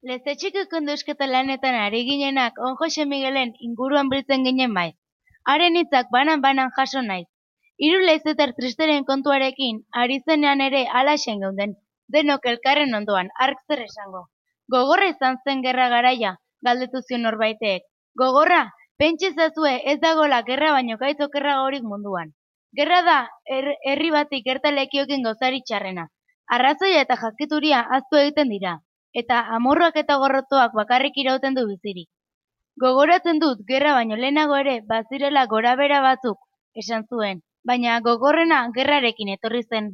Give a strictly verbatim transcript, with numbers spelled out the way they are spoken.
Lezetxiko kondusketa lanetan ari ginenak on Jose Miguelen inguruan biltzen ginen bai. Haren hitzak banan-banan jaso naiz. Hiru leizetar tristeren kontuarekin, ari zenean ere alaxen geunden, denok elkarren ondoan, hark zer esango. Gogorra izan zen gerra garaia, galdetu zion norbaitek. Gogorra, pentsa ezazue ez dagoela gerra baino gaitz okerragorik munduan. Gerra da, her- herri bati gerta lekiokin gozari txarrena. Arrazoia eta jakituria ahaztu egiten dira, eta amorruak eta gorrotoak bakarrik irauten du bizirik. Gogoratzen dut, gerra baino lehenago ere, bazirela gorabera batzuk, esan zuen, baina gogorrena gerrarekin etorri zen.